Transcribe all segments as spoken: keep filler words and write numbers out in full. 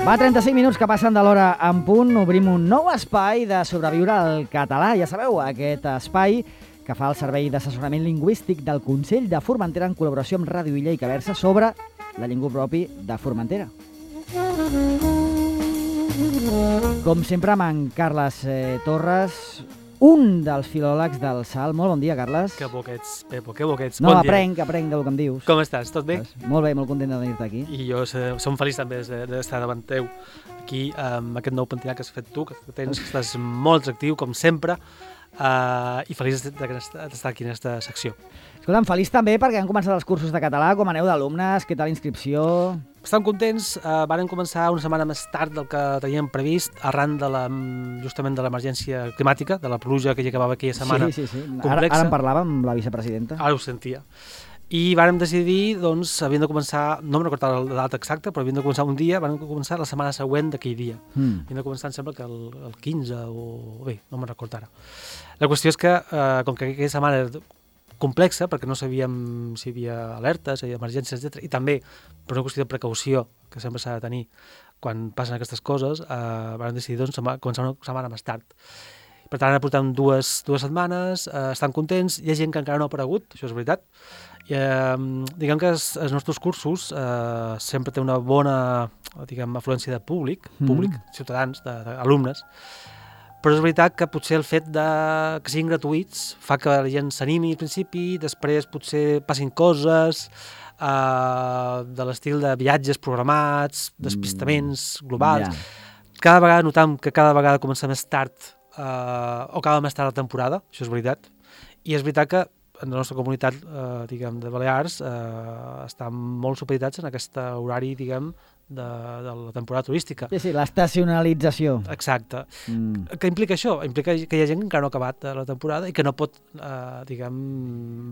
Va, trenta-cinc minuts que passen de l'hora en punt. Obrim un nou espai de sobreviure al català. Ja sabeu, aquest espai que fa el Servei d'Assessorament Lingüístic del Consell de Formentera en col·laboració amb Ràdio Illa i Caversa sobre la llengua propi de Formentera. Com sempre, amb en Carles eh, Torres, un dels filòlegs del S A L. Molt bon dia, Carles. Que boquets, Pepo, que boquets. No, bon aprenc, dia. aprenc del que em dius. Com estàs? Tot bé? Molt bé, molt content de venir-te aquí. I jo som feliç també d'estar davant teu aquí amb aquest nou pentinat que has fet tu, que tens, que estàs molt actiu, com sempre, uh, i feliç d'estar aquí en aquesta secció. Escolta'm, feliç també perquè han començat els cursos de català. Com aneu d'alumnes? Què tal l'inscripció? Estem contents, uh, varen començar una setmana més tard del que teníem previst, arran de la, justament de l'emergència climàtica, de la pluja que hi acabava aquella setmana sí, sí, sí. complexa. Ara, ara en parlàvem amb la vicepresidenta. Ara ho sentia. I vàrem decidir, doncs, havien de començar, no em recordo la data exacta, però havien de començar un dia, van començar la setmana següent d'aquell dia. Mm. Havien de començar, em sembla que el, el quinze o... bé, no me'n recordo ara. La qüestió és que, eh, com que aquella setmana era complexa, perquè no sabíem si hi havia alertes, si hi havia emergències, etcètera, i també per una qüestió de precaució, que sempre s'ha de tenir quan passen aquestes coses, eh, vam decidir doncs, començar una setmana més tard. Per tant, ara portem dues, dues setmanes, eh, estan contents, hi ha gent que encara no ha aparegut, això és veritat. I, eh, diguem que els, els nostres cursos eh, sempre té una bona, diguem, afluència de públic, mm. públic, ciutadans, d'alumnes, però és veritat que potser el fet de que siguin gratuïts fa que la gent s'animi al principi, després potser passin coses eh, de l'estil de viatges programats, despistaments globals. Yeah. Cada vegada notam que cada vegada comença més tard eh, o cada més tard la temporada, això és veritat, i és veritat que en la nostra comunitat eh, diguem, de Balears eh, estan molt supeditats en aquest horari, diguem, de, de la temporada turística. Sí, sí, l'estacionalització. Exacte. Mm. Què implica això? Implica que hi ha gent que encara no ha acabat la temporada i que no pot, eh, diguem,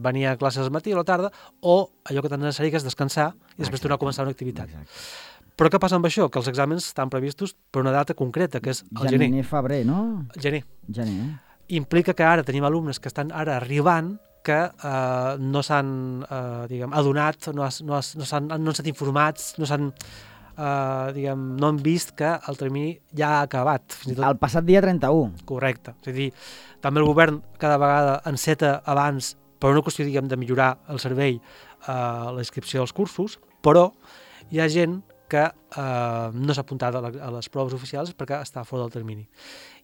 venir a classes al matí o a la tarda, o allò que tan necessari que és descansar i després tornar a començar una activitat. Exacte. Però què passa amb això? Que els exàmens estan previstos per una data concreta, que és el gener. Gener, febrer, no? Gener. Gener. Implica que ara tenim alumnes que estan ara arribant que eh, no s'han eh, diguem, adonat, no, has, no, has, no, s'han, no han estat informats, no s'han Uh, diguem, no han vist que el termini ja ha acabat. Fins i tot... El passat dia trenta-u. Correcte. És a dir, també el govern cada vegada enceta abans per una qüestió, diguem, de millorar el servei, uh, la inscripció dels cursos, però hi ha gent que uh, no s'ha apuntat a, la, a les proves oficials perquè està fora del termini.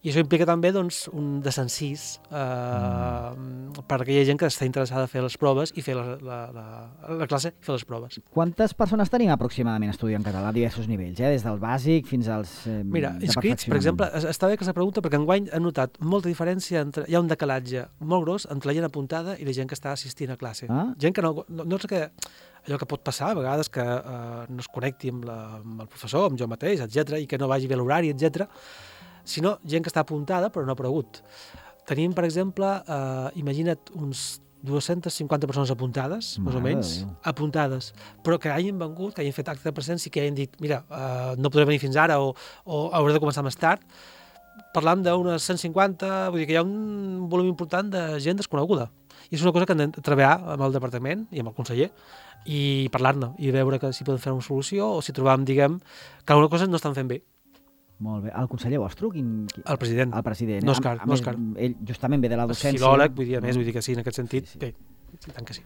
I això implica també doncs, un desencís eh, mm. per aquella gent que està interessada a fer les proves i fer la, la, la, la classe i fer les proves. Quantes persones tenim aproximadament estudiant català a diversos nivells, eh? Des del bàsic fins als eh, Mira, inscrits, per exemple, està bé que s'ha pregunta perquè enguany he notat molta diferència, entre, hi ha un decalatge molt gros entre la gent apuntada i la gent que està assistint a classe. Ah? Gent que no, no, no és que allò que pot passar a vegades que eh, no es connecti amb, la, amb el professor, amb jo mateix, etcètera, i que no vagi bé l'horari, etcètera, sinó gent que està apuntada però no ha aparegut. Tenim, per exemple, eh, imagina't uns dues-centes cinquanta persones apuntades, més o menys, apuntades, però que hagin vengut, que hagin fet acte de presència i que hagin dit, mira, eh, no podré venir fins ara o, o hauré de començar més tard. Parlam d'unes cent cinquanta, vull dir que hi ha un volum important de gent desconeguda. I és una cosa que hem de treballar amb el departament i amb el conseller i parlar-ne i veure que si podem fer una solució o si trobam, diguem, que alguna cosa no estan fent bé. Molt bé. El conseller vostre? Quin, quin... El president. El president. No Òscar. A, a més, Òscar. Ell justament ve de la docència. És filòleg, vull dir, a més, vull dir que sí, en aquest sentit, sí, sí. Bé, i tant que sí.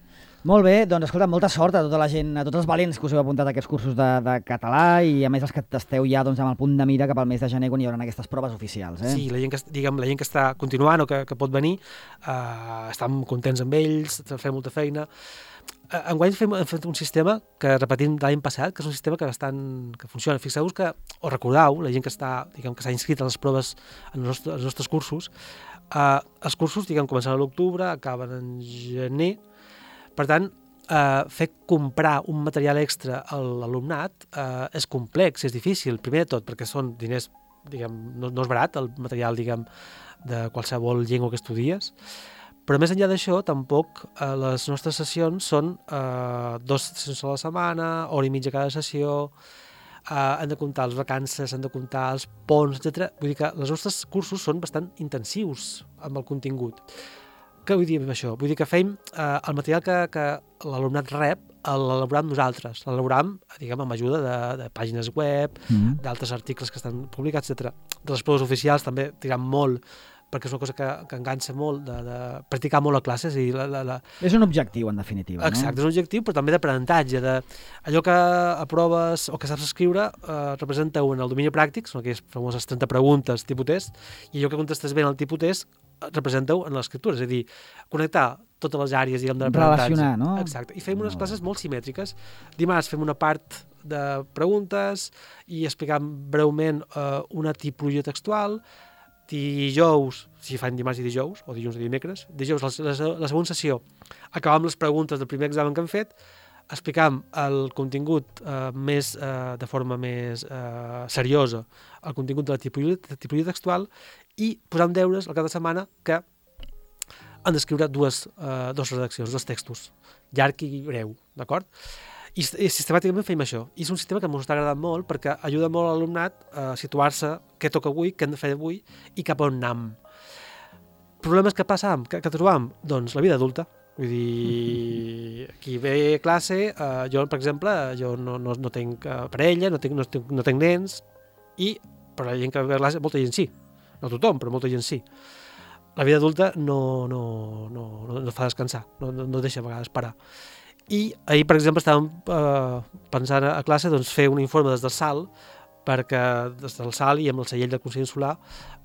Molt bé, doncs escolta, molta sort a tota la gent, a tots els valents que us heu apuntat a aquests cursos de, de català i a més els que esteu ja doncs, amb el punt de mira cap al mes de gener quan hi haurà aquestes proves oficials. Eh? Sí, la gent que, diguem, la gent que està continuant o que, que pot venir, eh, estan contents amb ells, fem molta feina. Enguany hem fet un sistema que repetim l'any passat, que és un sistema que bastant que funciona. Fixeu-vos que, o recordeu, la gent que està, diguem, que s'ha inscrit a les proves en els nostres, els nostres cursos, eh, els cursos, diguem, comencen a l'octubre, acaben en gener. Per tant, eh, fer comprar un material extra a l'alumnat eh, és complex, és difícil, primer de tot, perquè són diners diguem, no, no és barat el material, diguem, de qualsevol llengua que estudies, però més enllà d'això, tampoc eh, les nostres sessions són eh, dos sessions a la setmana, hora i mitja cada sessió, eh, han de comptar les vacances, han de comptar els ponts, etcètera. Vull dir que els nostres cursos són bastant intensius amb el contingut. Què vull dir amb això? Vull dir que fem eh, el material que, que l'alumnat rep, l'elaborem nosaltres, l'elaborem, diguem, amb ajuda de, de pàgines web, mm-hmm. d'altres articles que estan publicats, etcètera. De les proves oficials també tirem molt, perquè és una cosa que, que enganxa molt, de, de practicar molt a classes. I la, la, la... És un objectiu, en definitiva. Exacte, no? És un objectiu, però també d'aprenentatge. De... Allò que aproves o que saps escriure eh, representa-ho en el domini pràctic, són aquelles famoses trenta preguntes tipus test, i allò que contestes bé en el tipus test representa-ho en l'escriptura, és a dir, connectar totes les àrees, diguem, de l'aprenentatge. Relacionar, no? Exacte, i fem unes classes molt simètriques. Dimarts fem una part de preguntes i explicam breument eh, una tipologia textual. Dijous, si fan dimarts i dijous, o dilluns i dimecres, dijous, la, la, la segona sessió, acabam les preguntes del primer examen que hem fet, explicam el contingut eh, més, eh, de forma més eh, seriosa, el contingut de la tipologia, de tipologia textual, i posam deures al cap de setmana que han d'escriure dues, eh, dues redaccions, dos textos, llarg i breu, d'acord? I, I sistemàticament fem això. I és un sistema que ens està agradant molt perquè ajuda molt a l'alumnat a situar-se què toca avui, què hem de fer avui i cap on anam. Problemes que passam, que, que trobam? Doncs la vida adulta. Vull dir, aquí ve classe, eh, jo, per exemple, jo no, no, no tinc parella, no tinc, no, tinc, no tinc nens, i per la gent que ve a classe, molta gent sí. No tothom, però molta gent sí. La vida adulta no, no, no, no, no fa descansar, no, no, no deixa a vegades parar. I ahir, per exemple, estàvem eh, pensant a classe doncs, fer un informe des del S A L, perquè des del S A L i amb el segell del Consell Insular,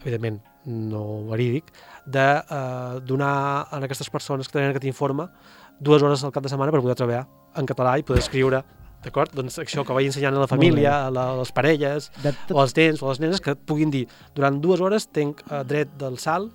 evidentment no verídic, de eh, donar a aquestes persones que tenen aquest informe dues hores al cap de setmana per poder treballar en català i poder escriure, d'acord? Doncs això que vaig ensenyant a la família, a, la, a les parelles, tot... o als nens o a les nenes, que puguin dir, durant dues hores tenc eh, dret del S A L,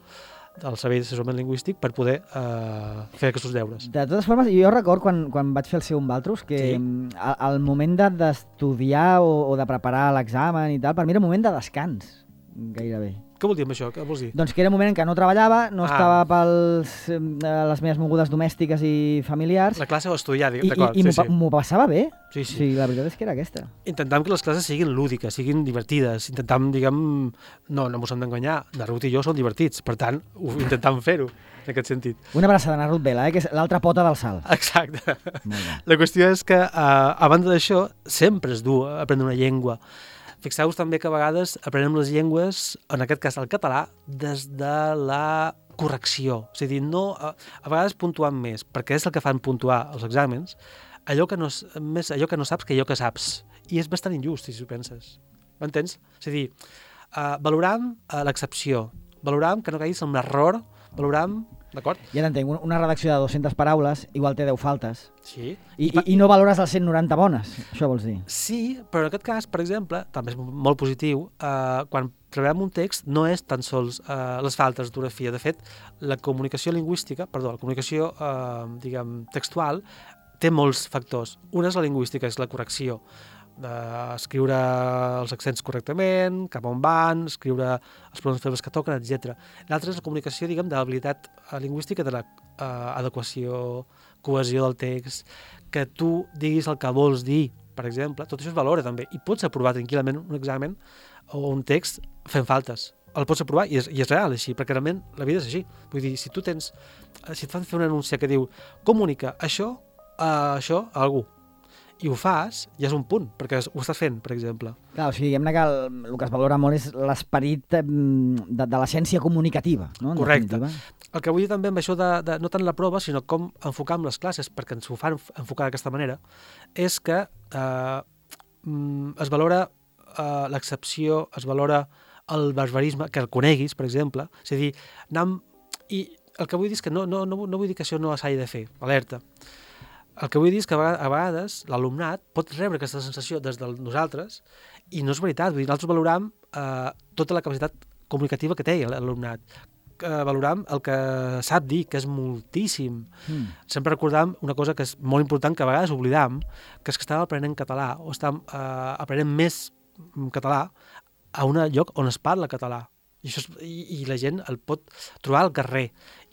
del Servei d'Assessorament Lingüístic, per poder eh, fer aquests deures. De totes formes, jo record quan, quan vaig fer el seu amb Valtros que sí. al, al moment d'estudiar de, o, o de preparar l'examen i tal, per mi era un moment de descans, gairebé. Què vol dir amb això? Què vols dir? Doncs que era un moment en què no treballava, no ah. estava pels eh, les meves mogudes domèstiques i familiars. La classe o estudiar, I, d'acord. I, i sí, m'ho sí. passava bé. Sí, sí. sí, la veritat és que era aquesta. Intentam que les classes siguin lúdiques, siguin divertides. Intentam, diguem, no, no mos hem d'enganyar. Na Ruth i jo som divertits, per tant, ho intentam fer-ho, en aquest sentit. Una abraçada a na Ruth Vela, eh, que és l'altra pota del salt. Exacte. La qüestió és que, eh, a banda d'això, sempre és dur aprendre una llengua. Fixeu-vos també que a vegades aprenem les llengües, en aquest cas el català, des de la correcció. És a dir, no, a, a vegades puntuant més, perquè és el que fan puntuar els exàmens, allò que no, més allò que no saps que allò que saps. I és bastant injust, si ho penses. M'entens? És a dir, uh, valoram uh, l'excepció, valoram que no caiguis en un error, valoram... D'acord? Ja t'entenc, una redacció de dues-centes paraules igual té deu faltes. Sí. I, i, i no valores les cent noranta bones, això vols dir? Sí, però en aquest cas, per exemple, també és molt positiu, eh, quan treballem un text no és tan sols eh, les faltes d'ortografia. De fet, la comunicació lingüística, perdó, la comunicació eh, diguem, textual té molts factors. Una és la lingüística, és la correcció, d'escriure els accents correctament, cap on van, escriure els pronoms febles que toquen, etcètera. L'altra és la comunicació, diguem, de l'habilitat lingüística de l'adequació, cohesió del text, que tu diguis el que vols dir, per exemple, tot això es valora també, i pots aprovar tranquil·lament un examen o un text fent faltes. El pots aprovar i és, i és real així, perquè realment la vida és així. Vull dir, si tu tens, si et fan fer un anunci que diu comunica això, uh, això a algú, i ho fas, ja és un punt, perquè ho estàs fent, per exemple. Clar, o sigui, diguem-ne que el, el que es valora molt és l'esperit de, de l'essència comunicativa, no? En correcte. definitiva. El que vull dir també amb això de, de no tant la prova, sinó com enfocar amb les classes, perquè ens ho fan enfocar d'aquesta manera, és que eh, es valora eh, l'excepció, es valora el barbarisme, que el coneguis, per exemple, és a dir, anam... I el que vull dir és que no, no, no, no vull dir que això no s'hagi de fer, alerta. El que vull dir és que a vegades l'alumnat pot rebre aquesta sensació des de nosaltres i no és veritat. Vull dir, nosaltres valoram eh, tota la capacitat comunicativa que té l'alumnat. Eh, valoram el que sap dir, que és moltíssim. Mm. Sempre recordam una cosa que és molt important, que a vegades oblidam, que és que estàvem aprenent català o estàvem eh, aprenent més català a un lloc on es parla català. I, això és, i, i la gent el pot trobar al carrer.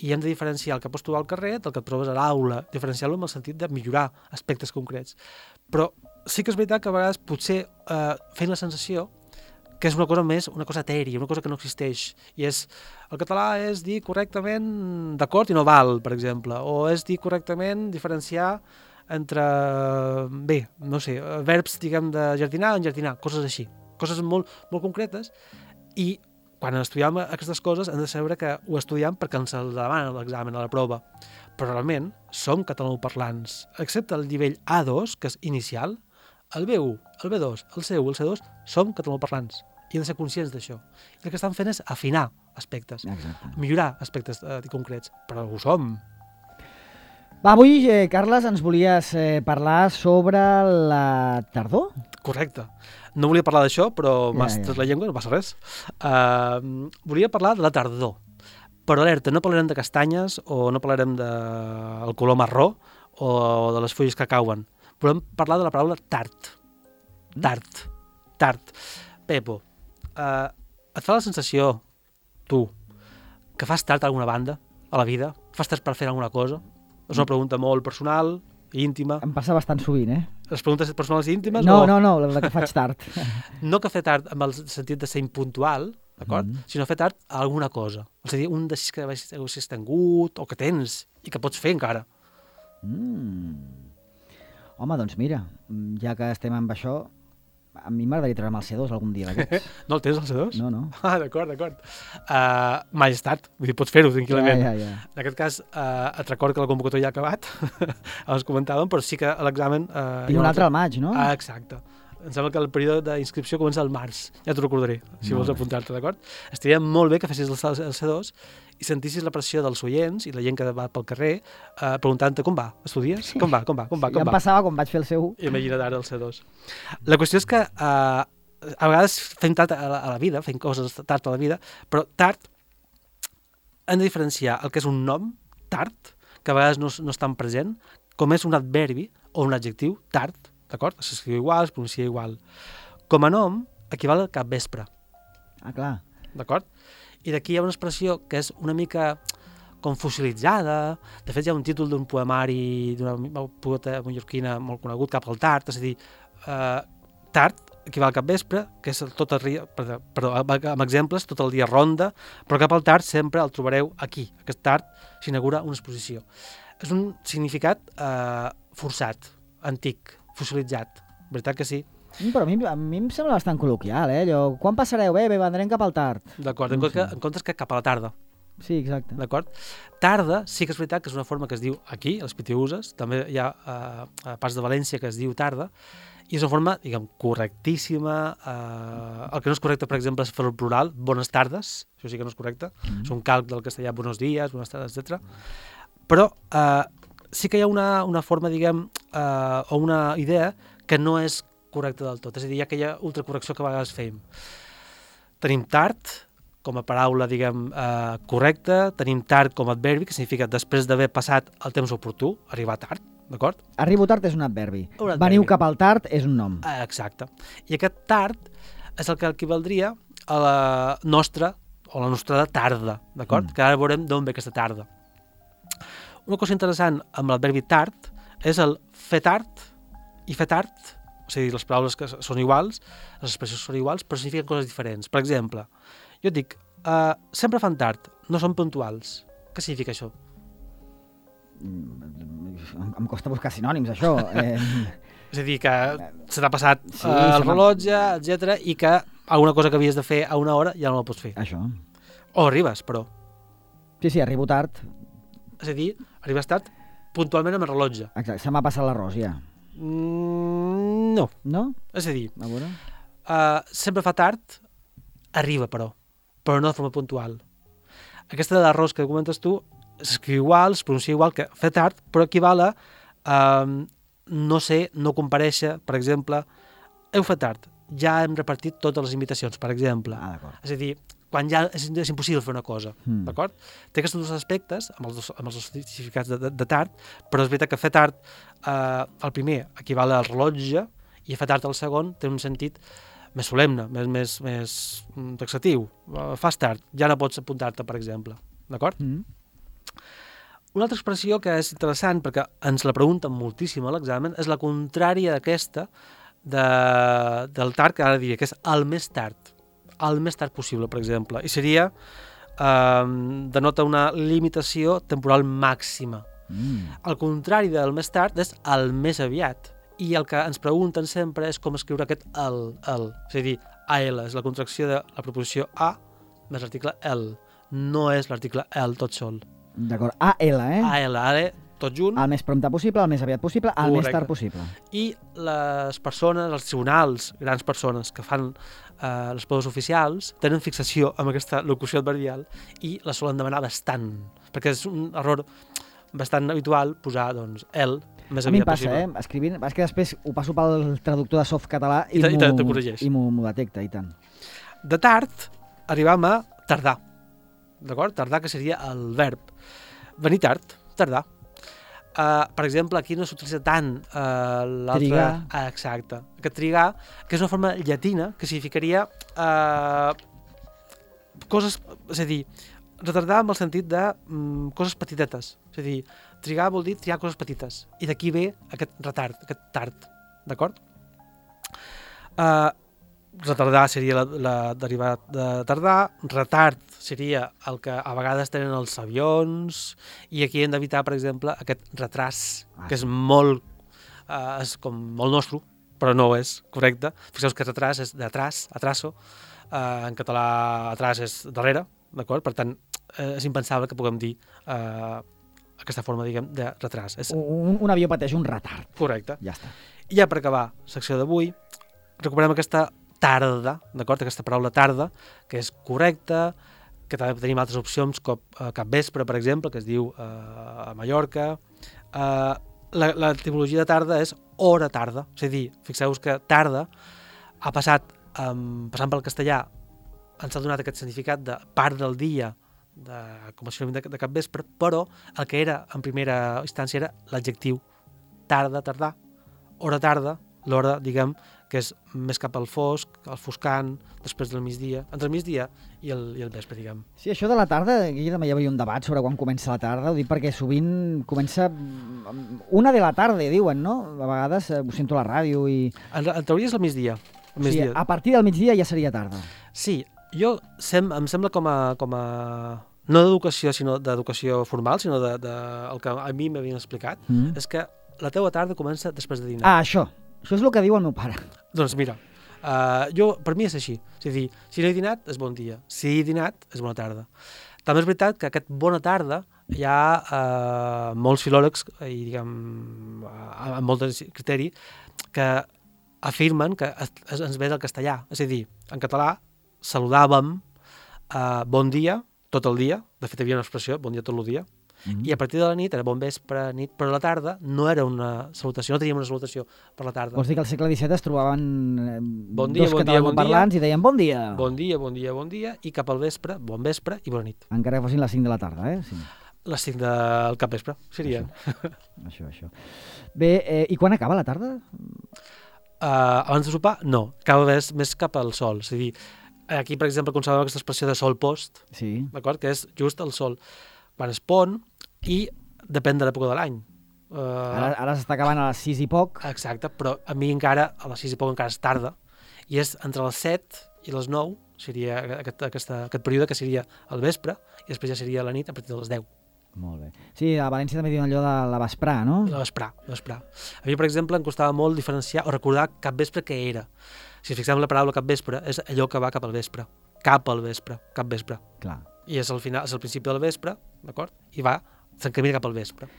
I hem de diferenciar el que pots trobar al carrer del que et trobes a l'aula, diferenciar-lo en el sentit de millorar aspectes concrets. Però sí que és veritat que a vegades potser eh, fent la sensació que és una cosa més, una cosa etèria, una cosa que no existeix. I és, el català és dir correctament d'acord i no val, per exemple, o és dir correctament, diferenciar entre, bé, no sé, verbs, diguem, de jardinar o enjardinar, coses així, coses molt, molt concretes, i quan estudiem aquestes coses hem de saber que ho estudiem perquè ens el demanen a l'examen, a la prova. Però realment som catalanoparlants. Excepte el nivell A dos, que és inicial, el B u, el B dos, el C u, el C dos, som catalanoparlants. I hem de ser conscients d'això. I el que estan fent és afinar aspectes, Exacte. millorar aspectes eh, concrets, però ho som. Va, avui, eh, Carles, ens volies eh, parlar sobre la tardor? Correcte. No volia parlar d'això, però Ja, m'has ja. tret la llengua, no passa res. Uh, volia parlar de la tardor. Però alerta, no parlarem de castanyes o no parlarem del de color marró o de les fulles que cauen. Volem parlar de la paraula tard. Tard. Tard. Pepo, uh, et fa la sensació, tu, que fas tard a alguna banda a la vida? Fas tard per fer alguna cosa? És una pregunta molt personal, íntima. Em passa bastant sovint, eh? Les preguntes personals i íntimes? No, o... no, no, la que faig tard. No que fer tard amb el sentit de ser impuntual, d'acord? Mm. Sinó fer tard a alguna cosa. És a dir, un desig que haguessis tingut o que tens i que pots fer encara. Mm. Home, doncs mira, ja que estem amb això, a mi m'agradaria treure'm el C dos algun dia d'aquests. No el tens, el C dos? No, no. Ah, d'acord, d'acord. Uh, mai estat, vull dir, pots fer-ho tranquil·lament. Ja, ja, ja. En aquest cas, uh, et recordo que la convocatòria ja ha acabat, abans comentàvem, però sí que a l'examen... Uh, Tinc un altre al maig, no? Ah, exacte. Em sembla que el període d'inscripció comença al març. Ja t'ho recordaré, si Molt vols bé. apuntar-te, d'acord? Estaria molt bé que fessis el el C dos i sentissis la pressió dels oients i la gent que va pel carrer eh, preguntant-te com va, estudies? Com va, com va, com va, Sí, com ja em va? passava quan vaig fer el C u. Imagina't ara el C dos. La qüestió és que eh, a vegades fem tard a la, a la vida, fem coses tard a la vida, però tard hem de diferenciar el que és un nom, tard, que a vegades no, no és tan present, com és un adverbi o un adjectiu, tard, d'acord? S'escriu igual, es pronuncia igual. Com a nom, equival al capvespre, Ah, clar. d'acord? I d'aquí hi ha una expressió que és una mica com fossilitzada. De fet, hi ha un títol d'un poemari d'una poeta mallorquina molt conegut, Cap al tard, és a dir, eh, tard equival al capvespre, que és tot el dia, perdó, amb exemples, tot el dia ronda, però cap al tard sempre el trobareu aquí. Aquest tard s'inaugura una exposició. És un significat eh, forçat, antic, fossilitzat, veritat que sí? Mm, Però a mi, a mi em sembla bastant col·loquial, eh? Allò, quan passareu? Bé, bé, vendrem cap al tard. D'acord, No en, comptes sé. que, en comptes que cap a la tarda, Sí, exacte. d'acord? Tarda sí que és veritat que és una forma que es diu aquí, als Pitiuses, també hi ha eh, a parts de València que es diu tarda, i és una forma, diguem, correctíssima. Eh, el que no és correcte, per exemple, és fer el plural, bones tardes, això sí que no és correcte, Mm. és un calc del castellà, buenos días, buenas tardes, etcètera. Però eh, sí que hi ha una, una forma, diguem, eh, o una idea que no és correcta del tot, és a dir, hi ha aquella ultracorrecció que a vegades fem. Tenim tard com a paraula, diguem, eh, correcta, tenim tard com a adverbi, que significa després d'haver passat el temps oportú, arribar tard, d'acord? Arribo tard és un adverbi. Un adverbi. Veniu cap al tard és un nom. Eh, exacte. I aquest tard és el que equivaldria a la nostra, o la nostra tarda, d'acord? Mm. Que ara veurem d'on ve aquesta tarda. Una cosa interessant amb l'adverbi tard és el fer tard i fer tard, és a dir, les paraules que són iguals, les expressions són iguals, però signifiquen coses diferents. Per exemple, jo et dic, uh, sempre fan tard, no són puntuals. Què significa això? Mm, Em, em costa buscar sinònims, això. Eh, És a dir, que se t'ha passat Sí, sí, uh, el se m'ha- rellotge, etcètera, i que alguna cosa que havies de fer a una hora ja no la pots fer. això. O arribes, però. Sí, sí, arribo tard. És a dir, arribes tard puntualment amb el rellotge. Exacte, se m'ha passat l'arròs ja. Mm, no. No? És a dir, A veure. uh, sempre fa tard, arriba, però. Però no de forma puntual. Aquesta de l'arròs que comentes tu s'escriu igual, es pronuncia igual que fer tard, però equival a uh, no sé, no comparèixer, per exemple, heu fet tard, ja hem repartit totes les invitacions, per exemple. Ah, d'acord. És a dir, quan ja és, és impossible fer una cosa, Mm. d'acord? Té aquests dos aspectes, amb els dos, amb els dos significats de, de, de tard, però és veritat que fer tard, eh, el primer equival al rellotge, i fer tard el segon té un sentit més solemne, més, més, més taxatiu. Fas tard, ja no pots apuntar-te, per exemple. D'acord? Mm. Una altra expressió que és interessant, perquè ens la pregunten moltíssim a l'examen, és la contrària d'aquesta de, del tard, que ara diria que és el més tard. El més tard possible, per exemple. I seria, eh, denota una limitació temporal màxima. Mm. El contrari del més tard és el més aviat. I el que ens pregunten sempre és com escriure aquest el, el. És a dir, A L és la contracció de la proposició a més l'article el. No és l'article el tot sol. D'acord, A L, eh? A L, A L, tot junt. El més prompte possible, el més aviat possible, el Correcte. Més tard possible. I les persones, els tribunals, grans persones que fan eh, les proves oficials, tenen fixació amb aquesta locució adverbial i la solen demanar bastant, perquè és un error bastant habitual posar, doncs, el més a mi aviat em passa, possible. eh? Escrivint, és que després ho passo pel traductor de soft català i, I, i m'ho detecta, i tant. De tard, arribam a tardar, d'acord? Tardar, que seria el verb. Venir tard, tardar. Uh, per exemple, aquí no s'utilitza tant uh, l'altre... Trigar. Ah, exacte. Aquest trigar, que és una forma llatina que significaria uh, coses... És a dir, retardar amb el sentit de um, coses petitetes. És a dir, trigar vol dir triar coses petites. I d'aquí ve aquest retard, aquest tard. D'acord? Uh, retardar seria la, la derivat de tardar. Retard seria el que a vegades tenen els avions. I aquí hem d'evitar, per exemple, aquest retras, ah, que és molt, uh, és com molt nostre, però no és correcte. Fixeu-vos que retras és d'atràs, atraso. Uh, en català, atràs és darrere. D'acord? Per tant, eh, és impensable que puguem dir eh, aquesta forma, diguem, de retras. És... Un, un avió pateix un retard. Correcte. Ja està. I ja per acabar la secció d'avui, recuperem aquesta tarda, d'acord? Aquesta paraula tarda, que és correcta, que també tenim altres opcions com eh, capvespre, per exemple, que es diu eh, a Mallorca. Eh, L'etimologia de tarda és hora tarda. És a dir, fixeu-vos que tarda ha passat, eh, passant pel castellà, ens ha donat aquest significat de part del dia, de, com a sinònim de, de capvespre, però el que era en primera instància era l'adjectiu tarda, tardar, hora tarda, l'hora, diguem, que és més cap al fosc, al foscant, després del migdia, entre el migdia i el, i el vespre, diguem. Sí, això de la tarda, aquí també hi havia un debat sobre quan comença la tarda, ho dic perquè sovint comença una de la tarda, diuen, no? A vegades ho sento a la ràdio i... En, en teoria és el migdia. El migdia. Sí, a partir del migdia ja seria tarda. Sí, jo sem, em sembla com a, com a no d'educació, sinó d'educació formal, sinó de, de, el que a mi m'havien explicat, mm. és que la teua tarda comença després de dinar. Ah, això. Això és el que diu el meu pare. Doncs mira, uh, jo, per mi és així. És a dir, si no he dinat, és bon dia. Si he dinat, és bona tarda. També és veritat que aquest bona tarda hi ha uh, molts filòlegs, i diguem, uh, amb molt de criteri, que afirmen que es, es, ens ve del castellà. És a dir, en català saludàvem uh, bon dia tot el dia, de fet hi havia una expressió, bon dia tot el dia, mm-hmm. i a partir de la nit era bon vespre, nit, però a la tarda no era una salutació, no teníem una salutació per la tarda. Vols dir que al segle disset es trobaven eh, bon dia, dos bon dia, bon parlants dia, i deien bon dia. Bon dia, bon dia, bon dia, i cap al vespre, bon vespre i bona nit. Encara que fossin les cinc de la tarda, eh? Sí. Les cinc del capvespre, serien. Això, això. això. Bé, eh, i quan acaba la tarda? Uh, abans de sopar, no, cada vegada més cap al sol, és a dir, aquí, per exemple, conservem aquesta expressió de sol post, sí. D'acord? Que és just el sol quan es pon i depèn de l'època de l'any. Uh, ara ara s'està acabant a les sis i poc. Exacte, però a mi encara, a les sis i poc encara és tarda, i és entre les set i les nou, seria aquest, aquesta, aquest període que seria el vespre, i després ja seria la nit a partir de les deu. Molt bé. Sí, a València també diuen allò de la vesprà, no? La vesprà, la vesprà. A mi, per exemple, em costava molt diferenciar o recordar cap vespre què era. Si fixem la paraula cap vespre, és allò que va cap al vespre. Cap al vespre, cap vespre. Clar. I és al final, és al principi del vespre, d'acord? I va, s'encamina cap al vespre.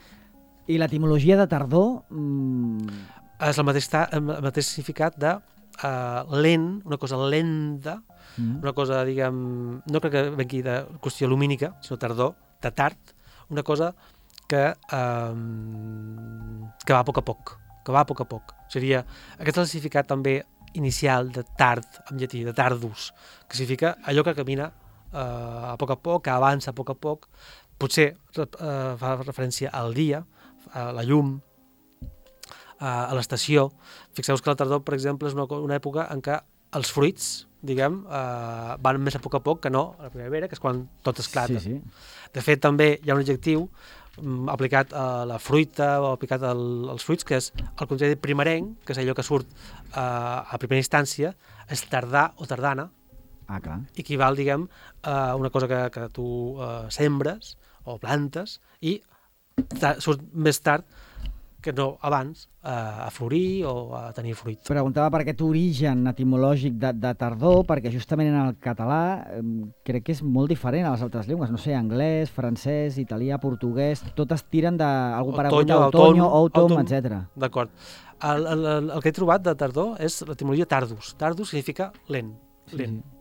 I l'etimologia de tardor? Mm... És el mateix, el mateix significat de uh, lent, una cosa lenta, mm. una cosa, diguem, no crec que vengui de qüestió lumínica, sinó tardor, de tard, una cosa que, um, que va a poc a poc, que va a poc a poc. Seria, aquest és el significat també inicial de tard, en llatí, de tardus, que significa allò que camina uh, a poc a poc, que avança a poc a poc, potser uh, fa referència al dia, a la llum, uh, a l'estació. Fixeu-vos que la tardor, per exemple, és una, una època en què els fruits, diguem, eh, van més a poc a poc que no a la primavera, que és quan tot esclata. Sí, sí. De fet, també hi ha un adjectiu mm, aplicat a la fruita o aplicat al, als fruits, que és el concepte primerenc, que és allò que surt eh, a primera instància, és tardà o tardana, Ah, clar. i equival, diguem, a una cosa que, que tu eh, sembres o plantes i surt més tard que no abans eh, a florir o a tenir fruit. Preguntava per aquest origen etimològic de, de tardor, perquè justament en el català eh, crec que és molt diferent a les altres llengües. No sé, anglès, francès, italià, portuguès, totes tiren d'algú paregut a otoño, autumn, etcètera. D'acord. El, el, el, el que he trobat de tardor és l'etimologia tardus. Tardus significa lent. lent. Sí, sí.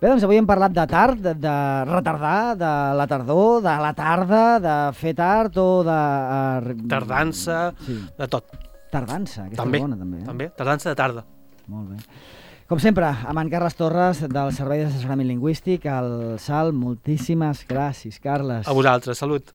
Bé, doncs avui hem parlat de tard, de, de retardar, de la tardor, de la tarda, de fer tard o de... Uh, Tardança, sí. De tot. Tardança, aquesta també, és bona també. Eh? També, tardança de tarda. Molt bé. Com sempre, amb en Carles Torres, del Servei d'Assessorament Lingüístic, al S A L. Moltíssimes gràcies, Carles. A vosaltres, salut.